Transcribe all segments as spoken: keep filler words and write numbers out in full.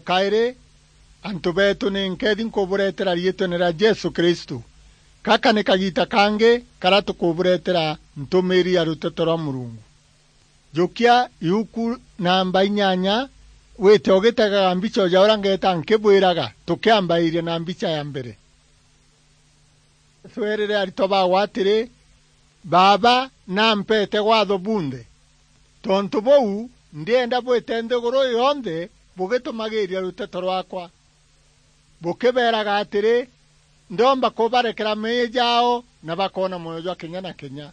Kairi, antu beetu ni nkeethi nkubureetera riitwene ria Jesu Kristu. Gaka ni kagiita kangi karia tukubureetera ntumiiri ya ruteto rwa Murungu. Jukia iuku namba inyanya, wite ugitegaga mbicha o ja uria ngeeta nkibwiraga, tukiambairia na mbicha ya mbere. Jesu eerire aritwa baawe atiri, "Baaba nampeete gwatho bunthe. Tontu buu, ndienda bwite nthiguru yonthe bugitumagiiria ruteto rwaakwa, bukibeeraga atiri, ndomba kubarekera meeyia jaao na bakoona mwoyo jwa kenya na kenya.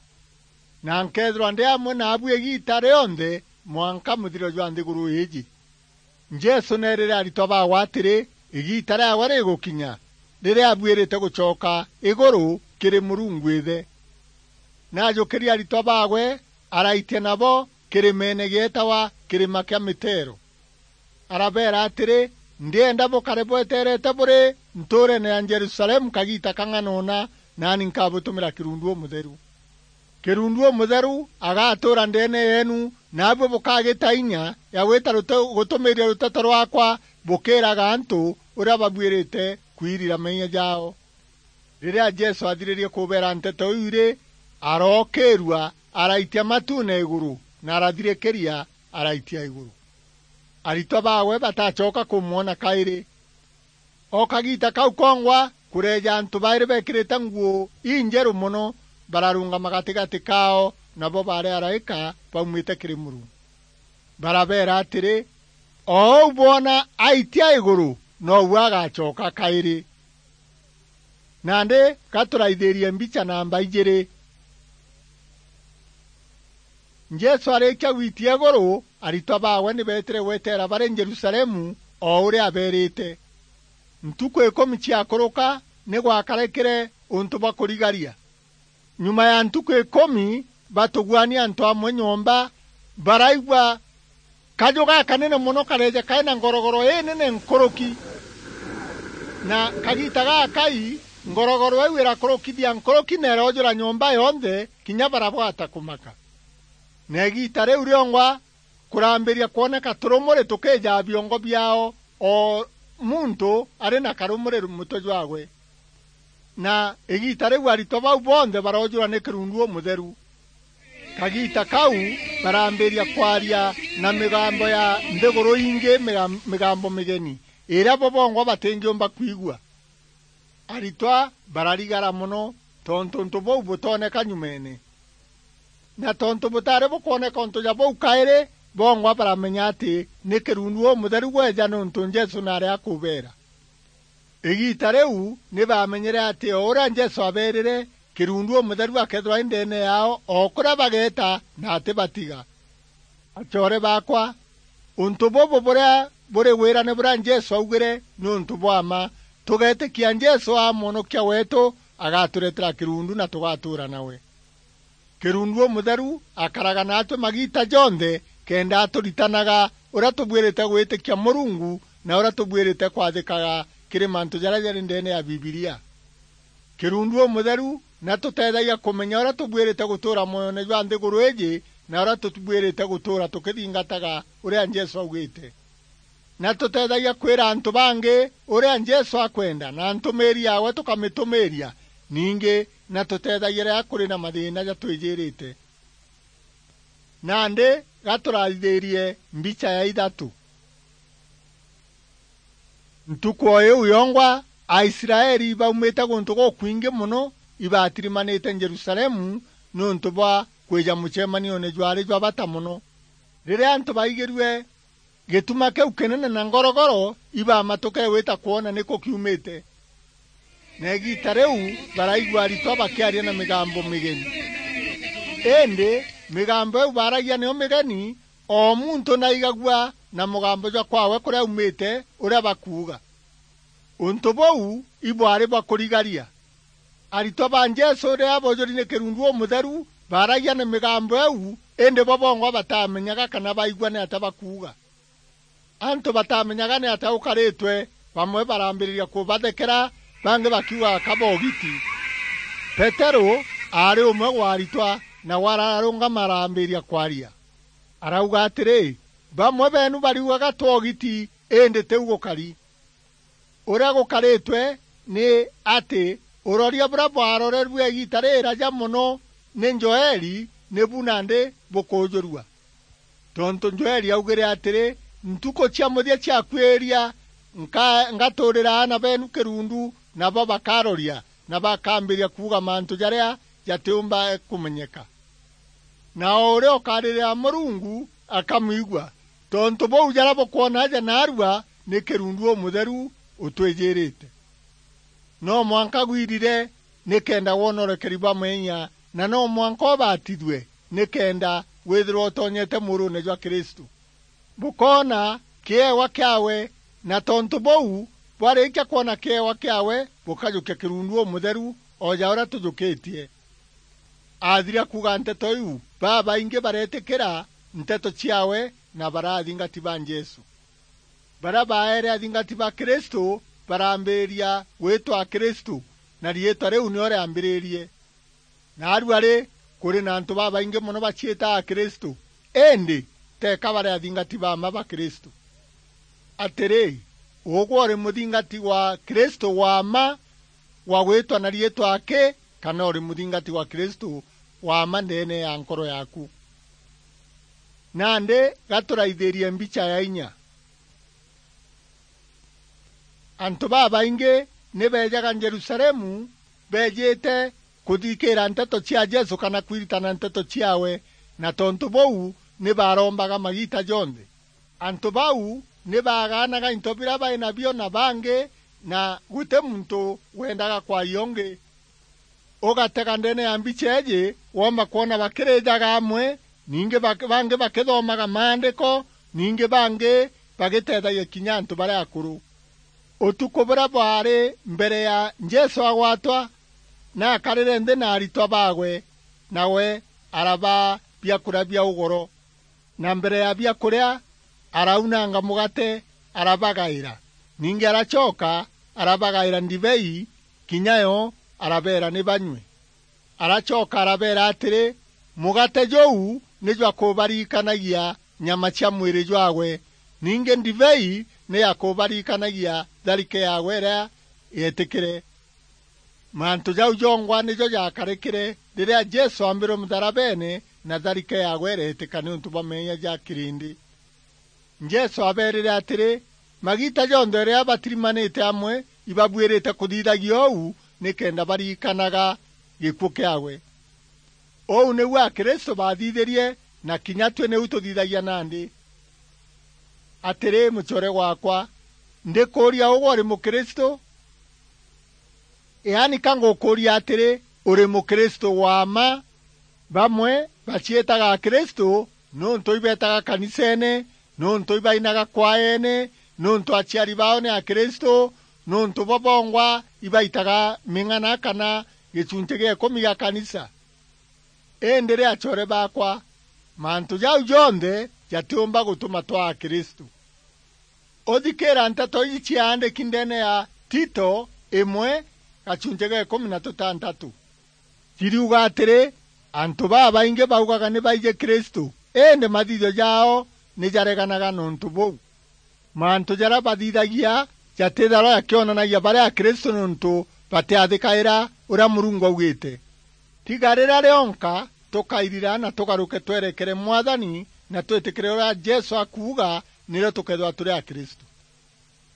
Na nkeethirwa ndi amwe naabu igiita rionthe mwanka muthiro jwa nthiguru iiji." Jesu neerire aritwa baawe atiri, igiita riaawe rigukinya, riria abuirite gucoka iguru kiri Murungu Ithe. Naajukirie aritwa baawe, araitia nabo kirimeene gieetawa Kirima kia Mitero. Arabeera atiri, "Ndienda bukare bweteerete buri ntuureene ya Jerusalemu kagiita kang'ana una, naani nkabutumira kirundu umutheru. Kirundu umutheru agatuura ndeene yeenu, naabui bukagita inya ya gwita rute-, gutumiiria ruteto rwaakwa bukiiraga antu uria babuirite kwirira meeyia jaao." Riria Jesu aathiririe kubeera nteto iu ri, arookiirua, araitia matuune iguru, na arathirikiria, araitia iguru. Aritwa baawe batacoka kumwona kairi. O kagiita kau kongwa, kureeja antu bairi beekirite nguu injeru mono, bararungama gatigati kaao, nabo baari araika baumite kiri Murungu. Barabeera atiri, "O uu bwona aitia iguru, nou agacoka kairi." Nandi ga turaithirie mbicha namba ijiri. Jesu arikia gwitia iguru, aritwa baawe ni beetire gweteera bari Jerusalemu o uria abeerite. Ntuku ikumi ciakuruka, ni gwakarekire untu bwa kurigaria. Nyuma ya ntuku ikumi, batuguania antu amwe nyomba, baraigua kaju gakanene mono kareeja kai na ngorogoro inene nkuruki. Na kagiita gakai, ngorogoro iu irakurukithia nkuruki na iroojura nyomba yonthe, kinya barabwata kumaka. Na igiita riu riongwa, kurambiria kwoneka turumuri tukijaa biongo biaao, o muntu ari na karumuri mutwe jwaawe. Na igiita riu aritwa bau bonthe baroojurwa ni kirundu umutheru. Kagiita kau barambiria kwaria na migambo ya nthiguru ingi, migam-, migambo migeni, iria bo bongwa batingiumba kwigua. Aritwa bararigara mono tontu untu buu butooneka nyumeene. Na tontu butaari bukwoneka untu ja buu kairi, bongwa baramenya ati ni kirundu umutheru gweeja niuntu Jesu naari akubeera. Igiita riu ni baamenyere ati o uria Jesu abeerire, kirundu umutheru akeethirwa ari ndeene yaao o kuria bageeta na atibatiga. Acoore baakwa, untu bubu buria buri wirane buria Jesu augire ni untu bwa mma. Tugeetikia Jesu aa Mwonokia weetu, agatureetera kirundu na tugatuura nawe. Kirundu umutheru akaraga naatwi magiita jonthe, kenda aturitanaga uria tubuirite gwitikia Murungu na uria tubuirite kwathikaga kiri mantu jaria jari ndeene ya Bibilia. Kirundu umutheru ni atuteethagia kumenya uria tubuirite gutuura mwoyone jwa nthiguru iiji na uria tubuirite gutuura tukithingataga uria Jesu augite. Ni atuteethagia kwira antu bangi uria Jesu akwenda na ntumiiri yaawe tukamitumiiria. Ningi ni atuteethagia riria kuri na mathiina jatwijirite. Nandi ga turathithirie mbicha ya ithatu. Ntuku o iu yongwa, Aisraeli baumite guntu gukwingi mono ibatirimanite Jerusalemu niuntu bwa kwija mucemanione jwaari jwa bata mono. Riria antu baigirue gituma kiu kinene na ngorogoro, ibamatukire gwita kwona niku kiumite. Na igiita riu baraigua aritwa bakiaria na migambo migeni. Indi migambo iu baaragia niyo migeni, o muntu naigagua na mugambo jwa kwawe kuria aumite, uria bakuuga. Untu buu ibwari bwa kurigaria. Aritwa ba Jesu riria boojuri ni kirundu umutheru, baaragia na migambo iu, indi bo bongwa batamenyaga kana baigua niatia bakuuga. Antu batamenyaga niatia gukaritwe, bamwe barambiriria kubathekera, bangi bakiugaga kaba ugiti. Peteru aari umwe wa aritwa, nawe ararungama arambiriria kwaria. Arauga atiri, "Bamwe beenu bariugaga twa ugiti, indi tiu gukari. Uria gukaritwe ni ati uroria buria bwarorerue igiita riraja mono ni Joeli, nibu nandi bukujurua. Tontu Joeli augire atiri, "Ntuku cia muthia ciakuiria, nka-, ngaturira aana beenu kirundu, nabo bakaroria, na bakambiria kuuga mantu jaria jatiumba kumenyeka." Na o uria ukaririra Murungu akamwigua. Tontu buu, jaria bukwona aja naarua ni kirundu umutheru utwijirite. No mwanka gwirire nikenda wonorekeri bwa meeyia, na no mwanka ubatithue nikenda withirwa utonyete muurune jwa Kristu. Bukoona kiewa kiawe, na tontu buu, bwarikia kwona kiewa kiawe, bukajukia kirundu umutheru, o ja uria tujukitie. Athira kuuga nteto iu, babaingi bareetikira nteto ciawe na baraa athingati ba Jesu. Baria baere athingati ba Kristu barambiriria gwitwa Akristu, na riitwa riu nio riambiririe. Naarua ri, kuri na antu babaingi mono baciitaa Akristu, indi teeka bari athingati ba mma ba Kristu. Atiri, ugwe uri muthingati wa Kristu wa mma, wa gwitwa na riitwa aki, kana uri muthingati wa Kristu wa mma ndeene ya nkoro yaaku? Nandi ga turaithirie mbicha ya inya. Antu babaingi ni beejaga Jerusalemu beejite kuthikiira nteto cia Jesu kana kwiritana nteto ciawe, na tontu buu ni barombaga magiita jonthe. Antu bau ni baagaanaga into biria bai nabio na bangi, na guti muntu wendaga kwaia ungi. Ugatega ndeene ya mbicha iiji, woomba kwona bakirijaga amwe, ningi bak-, bangi bakithomaga maandiko, ningi bangi bagiteethagia kinya antu baria akuru. Utuku buria bwaari mbere ya Jesu agwatwa, naakarire nthi na aritwa baawe, nawe arabaa biakuria bia ugoro. Na mbere ya biakuria, araunanga mugate, arabagaira. Ningi aracoka, arabagaira ndibei, kinya yo arabeera ni banyue. Aracoka arabeera atiri, "Mugate juu ni jwa kubaririkanagia nyama cia mwiri jwawe, ningi ndibei ni ya kubaririkanagia tharike yaawe iria yeetikire." Mantu jau jongwa nijo jaakarikire riria Jesu aambirwe mutharabeene, na tharike yaawe ireetika niuntu bwa meeyia ja kirindi. Jesu abeerire atiri, magiita jonthe riria batirimanite amwe, ibabuirite kuthithagia uu, nikenda baririkanaga gikuu kiaawe. Uu niu Akristu baathithirie, na kinya tui niu tuthithagia nandi. Atiri, mucoore gwaakwa, ndikuuria, ugwe uri Mukristu? Yaani, ka ngukuuria atiri, uri Mukristu wa mma? Bamwe baciitaga Akristu niuntu ibeetaga kaniseene, niuntu ibainaga kwaeene, niuntu aciari baao ni Akristu, niuntu bo bongwa ibaitaga ming'ana kana gicunci gia ikumi gia kanisa. Indi ri, acoore baakwa, mantu jau jonthe jatiumba gutuma twaa Akristu. Uthikiira nteto iji ciaandiki ndeene ya Tito imwe, gacunci ga ikumi na tutantatu. Ciriuga atiri, antu babaingi baugaga ni baiji Kristu, indi mathithio jaao ni jareganaga nontu buu. Mantu jaria bathithagia jatithagwa jakionanagia bari Akristu nontu batiathikaira uria Murungu augite. Tiga riria rionka tukairira na tugaruke twerekere Mwathani na twitikire uria Jesu akuuga, nirio tukeethirwa turi Akristu.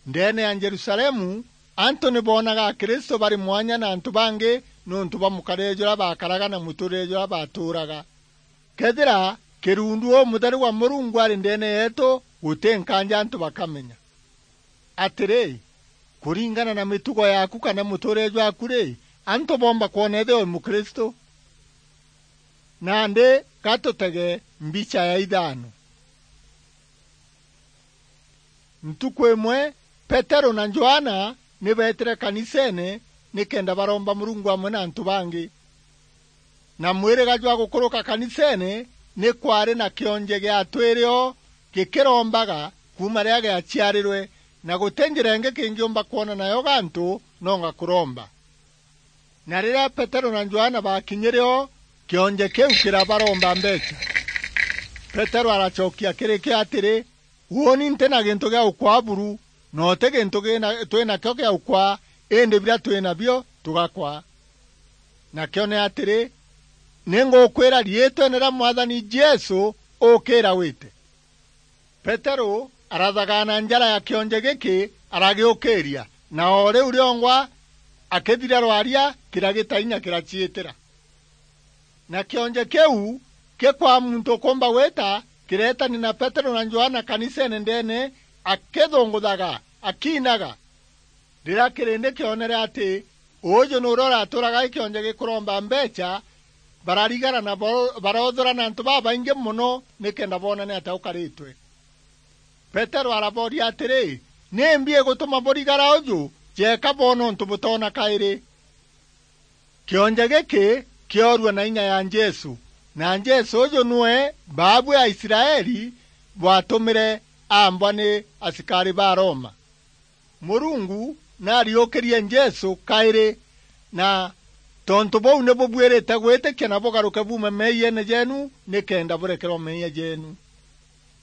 Ndeene ya Jerusalemu, antu ni boonaga Akristu bari mwanya na antu bangi nontu bwa mukarire juria baakaraga na muturire juria baatuuraga. Kethira kirundu umutheru wa Murungu ari ndeene yeetu, guti nkaanja antu bakamenya. Atiri, kuringana na mitugo yaaku kana muturire jwaaku ri, antu boomba kwona ethirwa uri Mukristu? Nandi ga tutege mbicha ya ithaano. Ntuku imwe, Peteru na Johana ni beetire kaniseene nikenda baromba Murungu amwe na antu bangi. Na mwiriga jwa gukuruka kaniseene ni kwaari na kionje gia atwiri o gikirombaga kuuma riria giaciarirwe, na guti njira ingi kingiumba kwona nayo gantu nonga kuromba. Na riria Peteru na Johana baakinyire o, kionje kiu kirabaromba mbeecha. Peteru aracokia kiri kio atiri, Uuni nti na gintu gia ukwaa buru, na uti gintu gina-, twi nakio gia ukwaa, indi biria twi nabio tugakwa. Nakio ni atiri, ni ngukwira riitwene ria Mwathani Jesu, ukira wite. Peteru arathagaana njara ya kionje giki, aragiukiria, na o riu riongwa akithira rwaria, kiragita inya kiraciitira. Na kionje kiu gikwaa muntu ukumba gwita, kireetania na Peteru na Johana kaniseene ndeene, akithunguthaga, akiinaga. Riria kirindi kionere ati uuju nuuria uratuuraga i kionje gikuromba mbeecha, bararigara na baro-, baroothura na antu babaingi mono nikenda boona ni atia ukaritwe. Peteru arabooria atiri, "Nimbi igutuma burigara uju? Jeeka boona untu butoona kairi." Kionje giki kioorua na inya ya Jesu, na Jesu uju niwe baabu ya Israeli bwatumire aambwa ni asikari ba Roma. Murungu nariukirie Jesu kairi, na tontu buu ni bubuirite gwitikia na bugaruke buume meeyiene jeenu, nikenda burekerwa meeyia jeenu.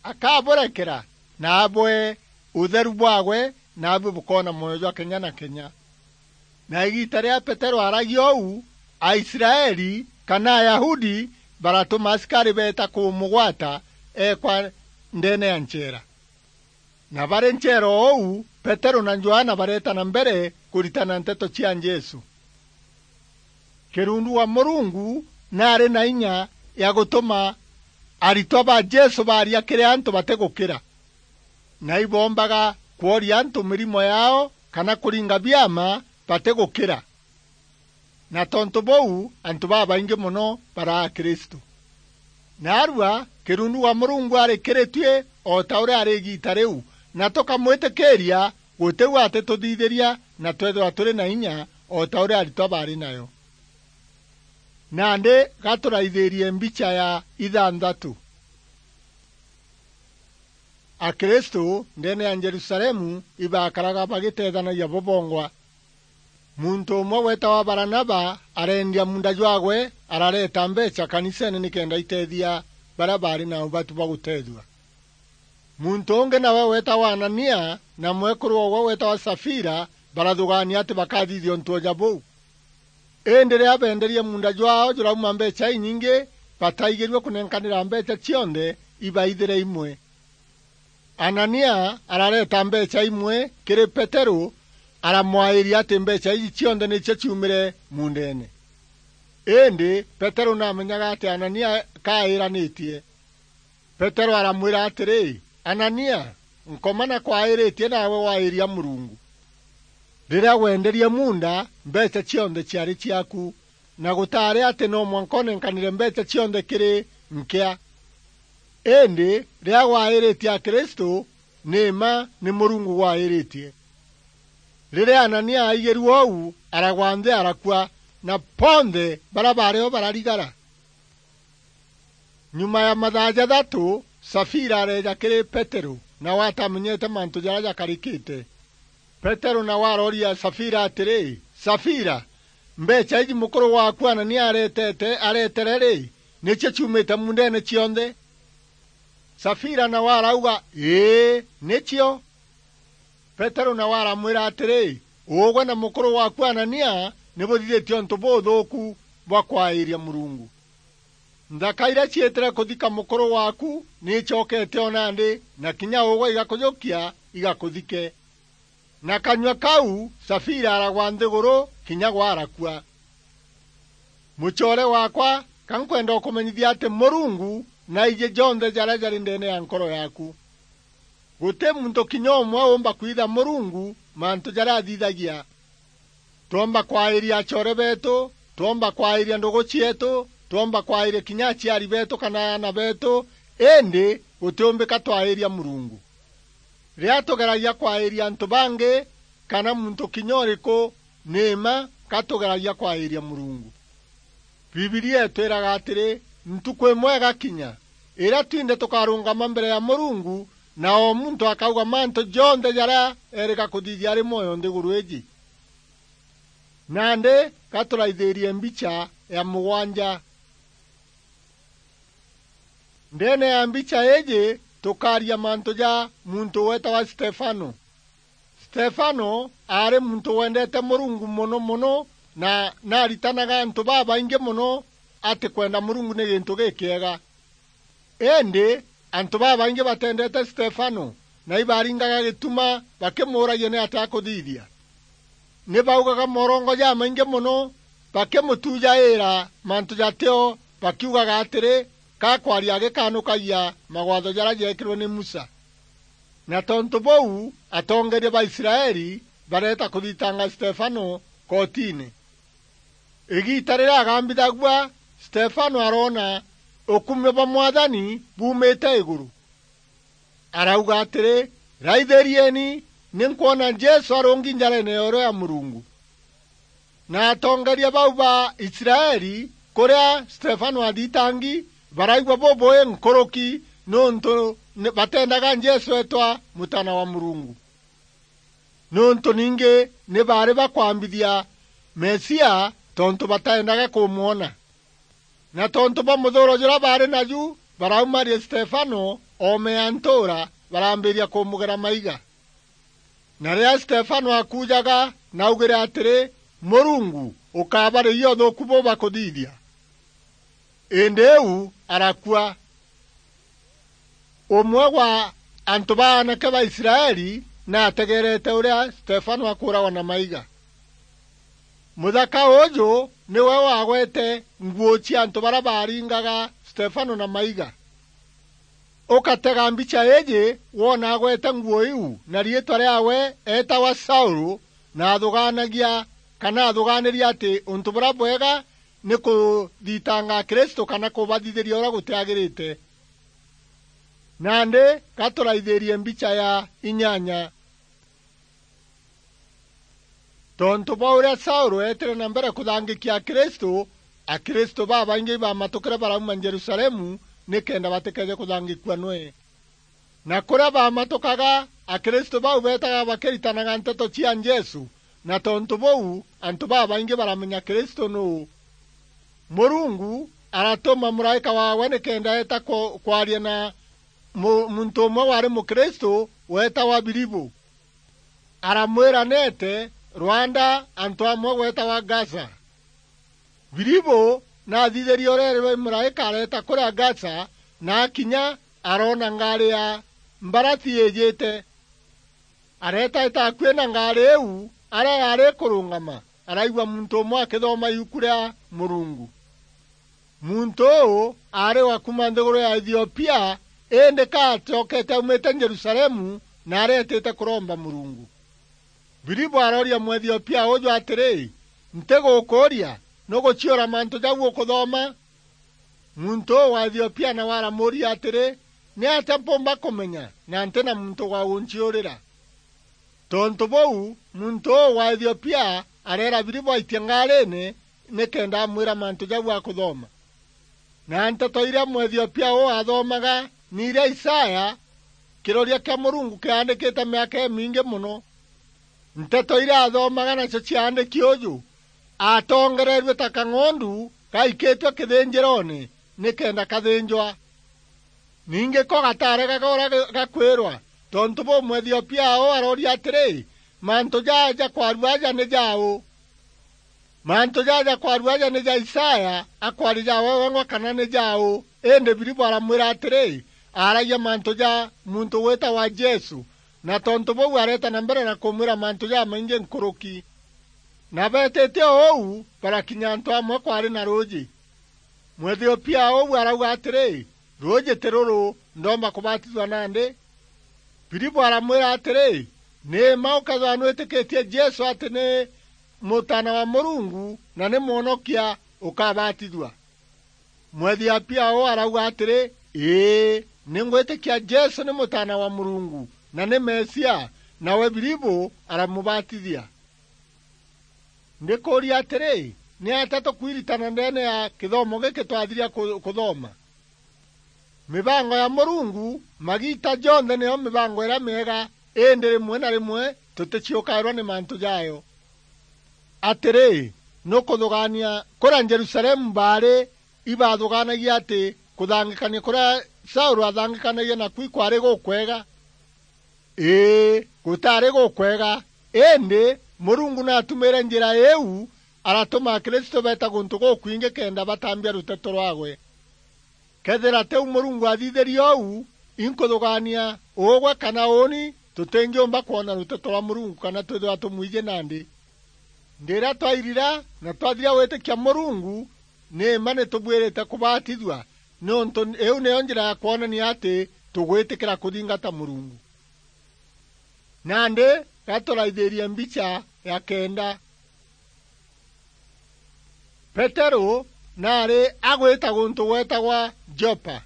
Akaburekera, na abwee utheru bwaagwe, naabui bukoona mwoyo jwa kenya na kenya. Na igiita riria Peteru aaragia uu, Aisraeli kana Ayahudi baratuma asikari beeta kumugwata eekwa ndeene ya ncheera. Na bari ncheera o uu, Peteru na Johana bareeta na mbere kuritana nteto cia Jesu. Kirundu wa Murungu naari na inya ya gutuma aritwa ba Jesu baaria kiri antu batigukira. Na iboombaga kworia antu mirimo yaao kana kuringa biama batigukira. Na tontu buu, antu babaingi mono baraa Kristu. Naarua, kirundu wa Murungu ari kiri tui o ta uria ari igiita riu, na tukamwitikiiria, guti u atituthithiria na twethirwa turi na inya o ta uria aritwa baari nayo. Nandi gaturaithirie mbicha ya ithanthatu. Akristu ndeene ya Jerusalemu ibakaraga bagiteethanagia bo bongwa. Muntu umwe weetawa Baranaba areendia muunda jwaagwe, arareeta mbeecha kaniseene nikenda iteethia baria baari na ubatu bwa guteethua. Muntu ungi nawe weetawa Anania na mwekuru oogwe weetawa Safira barathugaania ati bakathithia untu o ja buu. Indi riria beenderie muunda jwaao jurauma mbeecha inyingi, bataigirue kunenkanira mbeecha cionthe ibaithire imwe. Anania arareeta mbeecha imwe kiri Peteru, aramwairia ati mbeecha iji cionthe nicio ciumire muundeene. Indi Peteru naamenyaga ati Anania kaairanitie. Peteru aramwira atiri, "Anania, nkoma na kwairitie nawe wairia Murungu. Riria wenderie muunda, mbeecha cionthe ciari ciaaku, na gutaari ati no mwanka unenkanire mbeecha cionthe kiri nkia. Indi riria gwairitie Akristu, ni mma ni Murungu gwairitie." Riria Anania aigirue uu, aragwa nthi arakua, na bonthe baria baari o bararigara. Nyuma ya mathaa jathatu, Safira areeja kiri Peteru, nawe atamenyete mantu jaria jakarikite. Peteru nawe arooria Safira atiri, "Safira, mbeecha iji mukuru waaku Anania areetete, areetere ri, nicio ciumite muundeene cionthe?" Safira nawe arauga, "Ii, nicio." Peteru nawe aramwira atiri, "Ugwe na mukuru waaku Anania ni buthithitie untu buthuuku bwa kwairia Murungu. Nthaka iria ciitire kuthika mukuru waaku ni icokete o nandi, na kinya ugwe igakujukia igakuthike." Na kanyua kau Safira aragwa nthiguru kinya gwa arakua. Mucoore waakwa, ka nkwenda ukumenyithia ati Murungu naiji jonthe jaria jari ndeene ya nkoro yaaku. Guti muntu kinya umwe uumba kwitha Murungu mantu jaria athithagia. Twomba kwairia acoore beetu, twomba kwairia ndugu cieetu, twomba kwairia kinya aciari beetu kana aana beetu, indi gutiumbika twairia Murungu. Riria tugeragia kwairia antu bangi kana muntu kinya uriku, ni mma ka tugeragia kwairia Murungu. Bibilia itwiraga atiri, ntuku imwe igakinya, iria twinthe tukarungama mbere ya Murungu, na o muntu akauga mantu jonthe jaria erika kuthithia ari mwoyo nthiguru iji. Nandi, ga turaithirie mbicha ya mugwanja. Ndeene ya mbicha iiji, tukaaria mantu ja muntu weetawa Stefano. Stefano aari muntu wendeete Murungu mono mono, na naaritanaga antu babaingi mono ati kwenda Murungu ni gintu gikiega. Indi antu babaingi batendeete Stefano, na ibaringaga gituma bakimuuragia niatia akuthithia. Ni baugaga morongo jamaingi mono, bakimutujaira mantu jatio, bakiugaga atiri, ka kwaria agikanukagia magwatho jaria jeekirwe ni Musa. Na tontu buu, atongeeria ba Israeli bareeta kuthitanga Stefano kotini. Igiita riria agambithagua, Stefano aroona ukumio bwa Mwathani buumite iguru. Arauga atiri, "Raithirieni, ni nkwona Jesu arungi njareene ya urio ya Murungu." Na atongeeria bau ba Israeli, kuria Stefano athitangi, baraigua bubui nkuruki, niuntu ni, batendaga Jesu eetwa Mutaana wa Murungu. Niuntu ningi ni baari bakwambithia Mesia, tontu bataendaga kumwona. Na tontu bwa muthuuro juria baari naju, baraumaria Stefano oome ya ntuura, barambiria kumugera maiga. Na riria Stefano akujaga, naugire atiri, "Murungu ukabariria uthuuku buu bakuthithia." Indi iu arakua. Umwe wa antu ba aanake ba Israeli naategeerete uria Stefano akuuragwa na maiga. Muthaka uju niwe wagwete nguo cia antu baria baaringaga Stefano na maiga. Ukatega mbicha iiji woona agwete nguo iu, na riitwa riaawe eetawa Saulu, na athugaanagia kana athugaaniria ati untu buria bwega ni kuthitanga Akristu kana kubathithiria uria gutiagirite. Nandi, ga turaithirie mbicha ya inyanya. Tontu bwa uria Saulu eetire na mbere kuthangikia Akristu, Akristu babaingi ibamatukire barauma Jerusalemu nikenda batikeeje kuthangikua nwe. Na kuria baamatukaga, Akristu bau beetaga bakiritanaga nteto cia Jesu, na tontu buu, antu babaingi baramenya Kristu nuu. Murungu aratuma muraika waawe nikenda eeta ku-, kwaria na mu-, muntu umwe waari Mukristu weetawa Filipu. Aramwira neete rwanda antu amwe gweetawa Gaza. Filipu naathithirie uria eerirwe i muraika areeta kuria Gaza, na akinya aroona ngaari ya mbarathi iijite. Areeta eeta akui na ngaari iu, aria yaari ikurungama, araigua muntu umwe akithoma iuku ria Murungu. Muntu uu aari wa kuuma nthiguru ya Ethiopia, indi ka acokete aumite Jerusalemu na areetite kuromba Murungu. Filipu arooria Mwethiopia uju atiri, "Ntigukuuria, nuguciura mantu jau ukuthoma?" Muntu uu wa Ethiopia nawe aramuuria atiri, "Niatia mpumba kumenya na nti na muntu wa gunciurira?" Tontu buu, muntu uu wa Ethiopia areera Filipu aitie ngaariine nikenda amwira mantu jau akuthoma. Na nteto iria Mwethiopia uu aathomaga ni iria Isaya, kiroria kia Murungu kiaandikite miaka imingi mono. Nteto iria aathomaga nacio ciaandiki uju, "Aatongereerue ta kang'ondu gaikitue kithinjiroone nikenda kathinjwa." Ningi ko gataaregaga uria ga-, gakwirwa, tontu buu Mwethiopia uu arooria atiri, "Mantu jaa jakwarua aja ni jau?" Mantu jaa jakwarua aja ni ja Isaya, akwaria ja we wengwa kana ni jau? Indi Filipu aramwira atiri, aaragia mantu ja muntu witawa Jesu, na tontu buu areeta na mbere na kumwira mantu jamaingi nkuruki. Na beetite o uu, barakinya antu amwe kwaari na ruuji. Mwethiopia uu arauga atiri, "Ruuji ti ruru, ndoomba kubatithua nandi?" Filipu aramwira atiri, "Ni mma ukethirwa nwitikitie Jesu ati ni Mutaana wa Murungu na ni Mwonokia, ukabatithua." Mwethiopia uu arauga atiri, "Ii, ni ngwitikia Jesu ni Mutaana wa Murungu na ni Mesia." Nawe Filipu aramubatithia. Ndikuuria atiri, niatia tukwiritana ndeene ya kithomo giki twathiria ku-, kuthoma? Mibango ya Murungu magiita jonthe niyo mibango iria miega, indi rimwe na rimwe tuticiukairwa ni mantu jayo. Atiri, nukuthugaania kuria Jerusalemu baari ibathugaanagia ati kuthangikania kuria Saulu athangikanagia naku ikwaari gukwega? Ii, gutaari gukwega, indi Murungu naatumiire njira iu, aratuma Akristu beeta guntu gukwingi kenda batambia ruteto rwaawe. Kethira tiu Murungu athithirie uu, inkuthugaania ugwe kana uuni tutingiumba kwona ruteto rwa Murungu kana twithirwa tumwiji nandi. Ndiria twairira na twathira gwiitikia Murungu, ni mma ni tubuirite kubatithua, niuntu iu niyo njira ya kwonania ati tugwitikira kuthingata Murungu. Nandi ga turaithirie mbicha ya kenda. Peteru naari agwita guntu gwetagwa Jopa,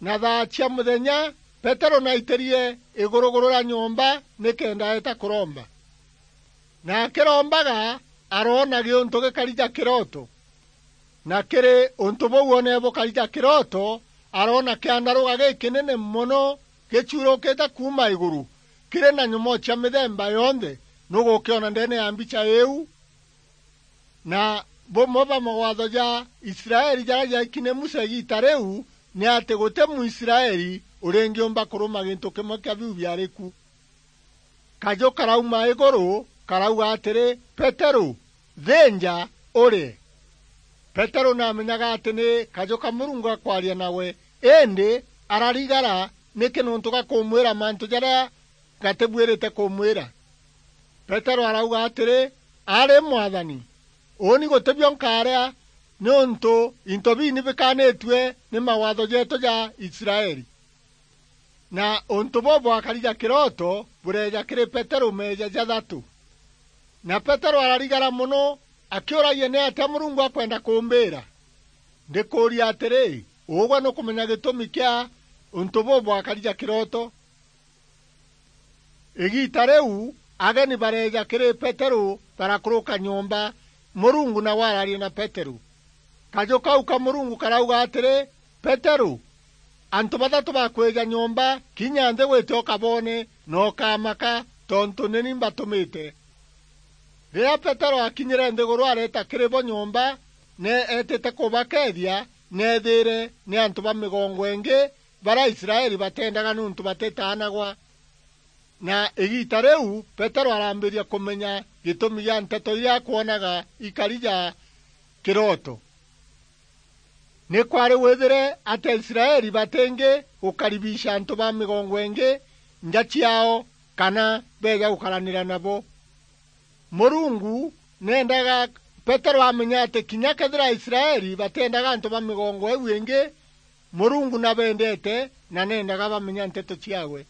na thaa cia muthenya Peteru naitirie iguruguru ria nyomba nikenda eeta kuromba. Na akirombaga, aroona giuntu gikari ja kiroto. Na kiri untu buu oonere bukari ja kiroto, aroona kiandaruga gikinene mono gicuurukite kuuma iguru, kiri na nyomoo cia mithemba yonthe. Nugukiona ndeene ya mbicha iu? Na bumwe bwa mawatho ja Israeli jaria jaiki ni Musa igiita riu, ni ati guti Muisraeli uringiumba kuruma gintu kimwe kia biu biari ku. Kaju karauma iguru, karauga atiri, "Peteru, thinja, urie." Peteru naamenyaga ati ni kaju ka Murungu gakwaria nawe, indi ararigara niki niuntu gakumwira mantu jaria gatibuirite kumwira. Peteru arauga atiri, "Ari Mwathani, uuni guti bio nkaaria, niuntu into biu ni bikaanitue ni mawatho jeetu ja Israeli." Na untu buu bwakari ja kiroto bureeja kiri Peteru meeja jathatu. Na Peteru ararigara mono, akiuragia ni atia Murungu akwenda kumbiira. Ndikuuria atiri, ugwe nukumenya gitumi kia untu buu bwakari ja kiroto? Igiita riu, ageni bareeja kiri Peteru, barakuruka nyomba, Murungu nawe araria na Peteru. Kaju kau ka Murungu karauga atiri, "Peteru, antu bathatu bakwija nyomba, kinya nthi wite ukaboone, na ukamaka, tontu ni ni mbatumite." Riria Peteru akinyire nthiguru, areeta kiri bo nyomba, ni eetite kubakeethia, neethiire ni antu ba migongo ingi, baria Aisraeli bateendaga niuntu batitaanagwa. Na igiita riu, Peteru araambiria kumenya gitumi gia nteto iria akwonaga ikari ja kiroto. Ni kwari withire ati Aisraeli batingi gukaribisha antu ba migongo ingi nja ciaao kana beeja gukaranira nabo. Murungu neendaga Peteru amenye ati kinya kethira Aisraeli batiendaga antu ba migongo iu ingi, Murungu nabendete na neendaga bamenya nteto ciawe.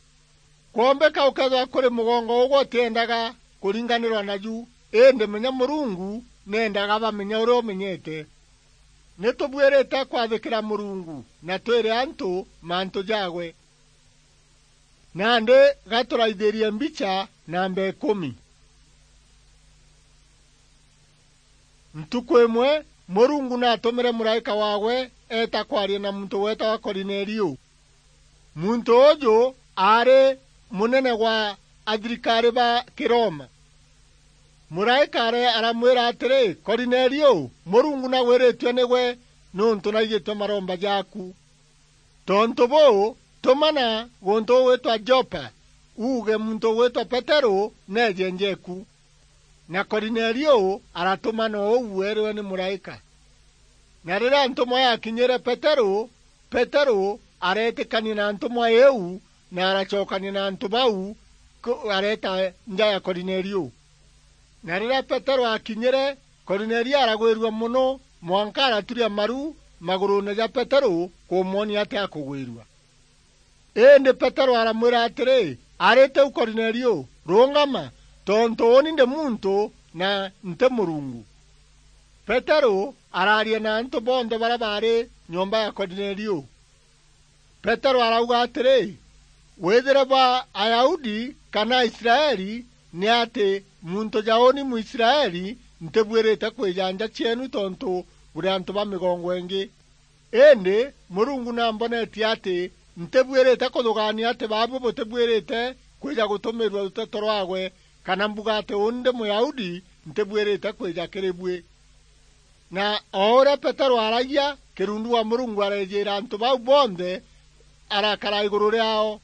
Kwombika ukeethirwa kuri mugongo ugwe utiendaga kuringanirwa naju, indi menya Murungu neendaga bamenya uria umenyete. Ni tubuirite kwathikira Murungu na twire antu mantu jaawe. Nandi ga turaithirie mbicha namba ikumi. Ntuku imwe, Murungu naatumire muraika waawe eeta kwaria na muntu weetagwa Korinelio. Muntu uju aari munene wa athirikari ba Kiroma. Muraika are-, aramwira atiri, "Korinelio, Murungu nagwiritue nigwe, niuntu naigitue maromba jaaku. Tontu buu, tumana guntu gugwitwa Jopa, uuge muntu ugwitwa Peteru neeje njeeku." Na Korinelio aratumana uu eerwe ni muraika. Na riria ntumwa yakinyire Peteru, Peteru areetikania na ntumwa iu, na aracokania na antu bau ku-, areeta nja ya Korinelio. Na riria Peteru aakinyire, Korinelio aragwirua mono, mwanka araturia maru maguruune ja Peteru kumwonia ati akugwirua. Indi Peteru aramwira atiri, "Ari tiu Korinelio, rungama, tontu uuni ndi muntu na nti Murungu." Peteru araaria na antu bonthe baria baari nyomba ya Korinelio. Peteru arauga atiri, "Withire bwa Ayahudi kana Aisraeli, ni ati muntu ja uuni Mwisraeli ntibuirite kwija nja cieenu tontu buri antu ba migongo ingi. Indi Murungu nambonetie ati ntibuirite kuthugaania ati baabui butibuirite kwija gutumirua ruteto rwaawe, kana mbuga ati uuni ndi Muyahudi ntibuirite kwija kiri bui." Na o uria Peteru aaragia, kirundu wa Murungu areejiira antu bau bonthe arakara iguru riaao.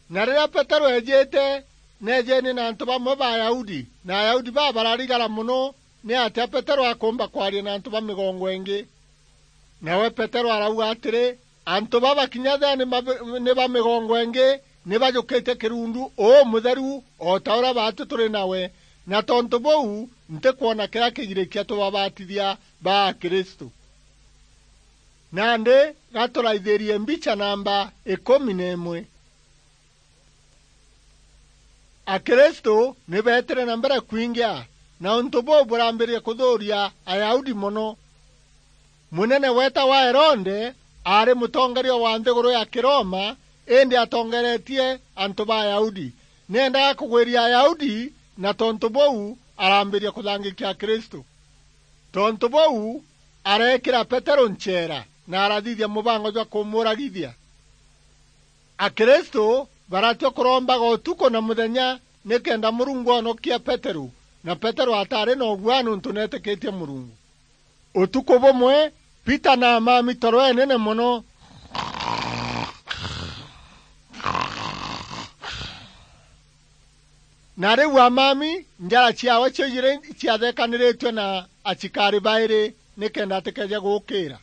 Na riria Petero eejite, neejeene na antu bamwe ba Ayahudi, na Ayahudi baa bararigara mono ni atia Petero akuumba kwaria na antu ba migongo ingi. Nawe Petero arauga atiri, "Antu baba kinya thea ni mabi-, ni ba migongo ingi, ni bajukitie kirundu umutheru, o ta uria baatu turi nawe, na tontu buu, ntikwona kiria kigirikia tubabatithia ba Akristu." Nandi gaturaithirie mbicha namba ikumi na imwe. Akristu ni beetire na mbere kwingia, na untu buu burambiriria kuthuuria Ayahudi mono. Munene weetagwa Herode aari mutongeria wa nthiguru ya Kiroma, indi atongeretie antu ba Ayahudi. Neendaga kugwiria Ayahudi, na tontu buu arambiria kuthangikia Akristu. Tontu buu, areekira Petero ncheera na arathithia mubango jwa kumuuragithia. Akristu baratua kurombaga utuku na muthenya nikenda Murungu onokia Petero, na Petero ataari na uguaa niuntu neetikitie Murungu. Utuku bumwe, Peter na amami toro enene mono. Na riu amami, njara ciaawe cio ijiri ciathekaniritue na acikari bairi nikenda atikeeje guukiira.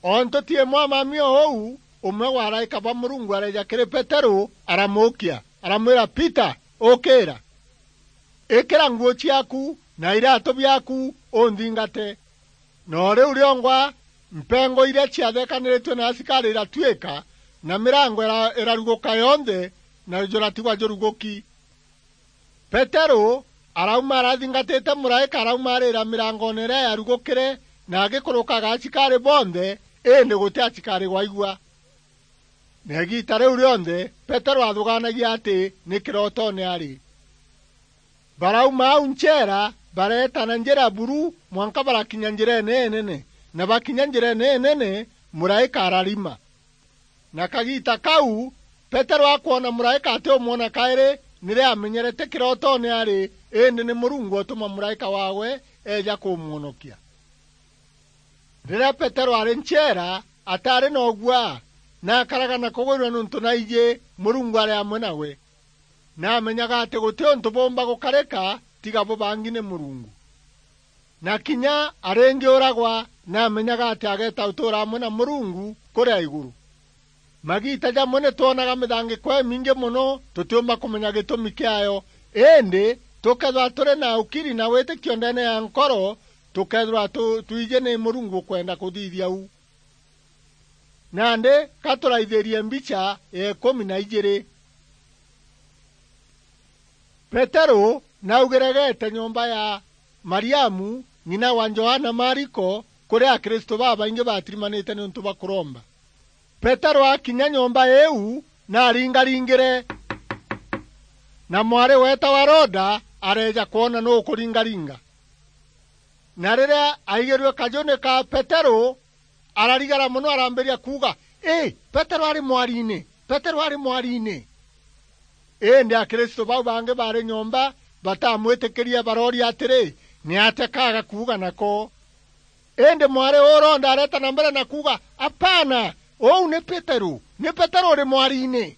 O ntuti imwe amami o uu, umwe wa araika ba Murungu areeja kiri Peteru, aramuukia, aramwira, "Peter, ukiira! Ikira nguu ciaaku na iraatu biaaku, unthingate." Na o riu riongwa, mpengo iria ciathekaniritue na asikari iratuika, na mirango ira-, iraruguka yonthe, na juratigwa juruguki. Peteru arauma arathingatite muraika, araumaarira mirangone iria yarugukire, na agikurukaga acikari bonthe, indi guti acikari gwaigua. Na igiita riu rionthe, Peteru athugaanagia ati ni kirotoone ari. Barauma au ncheera, bareeta na njira buru mwanka barakinya njireene inene, na bakinya njireene inene, muraika ararima. Na kagiita kau, Peteru akwona muraika atiumwona kairi, niria amenyerete kirotoone ari, indi ni Murungu utuma muraika waawe eeja kumwonokia. Riria Peteru ari ncheera, ataari na uguaa, na akaraga na kugwirua niuntu naiji Murungu ari amwe nawe. Na amenyaga ati guti untu buumba gukarika tiga bubangi ni Murungu. Na kinya aringiuragwa, na amenyaga ati ageeta utuura amwe na Murungu kuria iguru. Magiita jamwe ni twonaga mithangiko imingi mono, tutiumba kumenya gitumi kiayo. Indi, tukethirwa turi na ukiri na witikio ndeene ya nkoro, tukethirwa tu-, twiji ni Murungu ukwenda kuthithia uu. Nandi, ka turaithirie mbicha ya ikumi na ijiri. Peteru naugire geete nyomba ya Mariamu, ng'ina wa Johana Mariko, kuria Akristu babaingi batirimanite niuntu bwa kuromba. Peteru akinya nyomba iu, naringaringire, na mwari weetagwa Roda areeja kwona nuu ukuringaringa. Na riria aigirue kajuni ka Peteru, ararigara mono, arambiria kuuga, "Ii, Peteru ari mwariine! Peteru ari mwariine!" Indi Akristu bau bangi baari nyomba batamwitikirie, barooria atiri, "Niatia kaaga kuuga nako?" Indi mwari uu Roda areeta na mbere na kuuga, "Apana, uu ni Peteru, ni Peteru uri mwariine."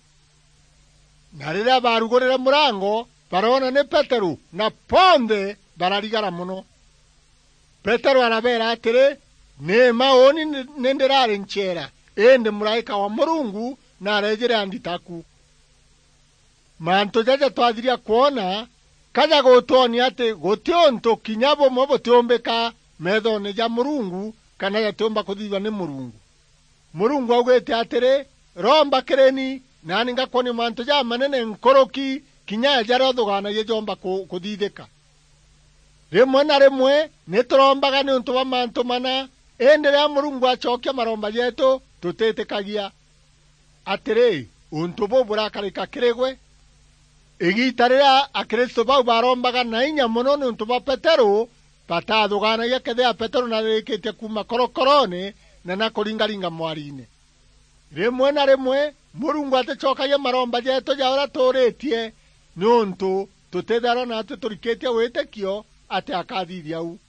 Na riria baarugurire murango, baroona ni Peteru, na bonthe bararigara mono. Peteru arabeera atiri, "Ni mma uuni ni, ni ndiraari ncheera, indi muraika wa Murungu nareejire andita ku." Mantu jaja twathiria kwona, ka jagutwonia ati guti untu kinya bumwe butiumbika meethoone ja Murungu, kana jatiumba kuthithua ni Murungu. Murungu augite atiri, "Romba kiri ni, naani ngakwonia mantu jamanene nkuruki kinya ya jaria uthugaanagia joomba ku-, kuthithika." Rimwe na rimwe ni turombaga niuntu bwa mantu mana, indi riria Murungu acokia maromba jeetu, tutitikagia. Atiri, untu buu burakarika kiri gwe? Igiita riria Akristu bau baarombaga na inya mono niuntu bwa Peteru, batathugaanagia kethira Peteru naririkitie kuuma korokoroone na nakuringaringa mwariine. Rimwe na rimwe, Murungu aticokagia maromba jeetu ja uria tuuritie, niuntu tutitharwa naatwi turikitie witikio ati akathithia uu.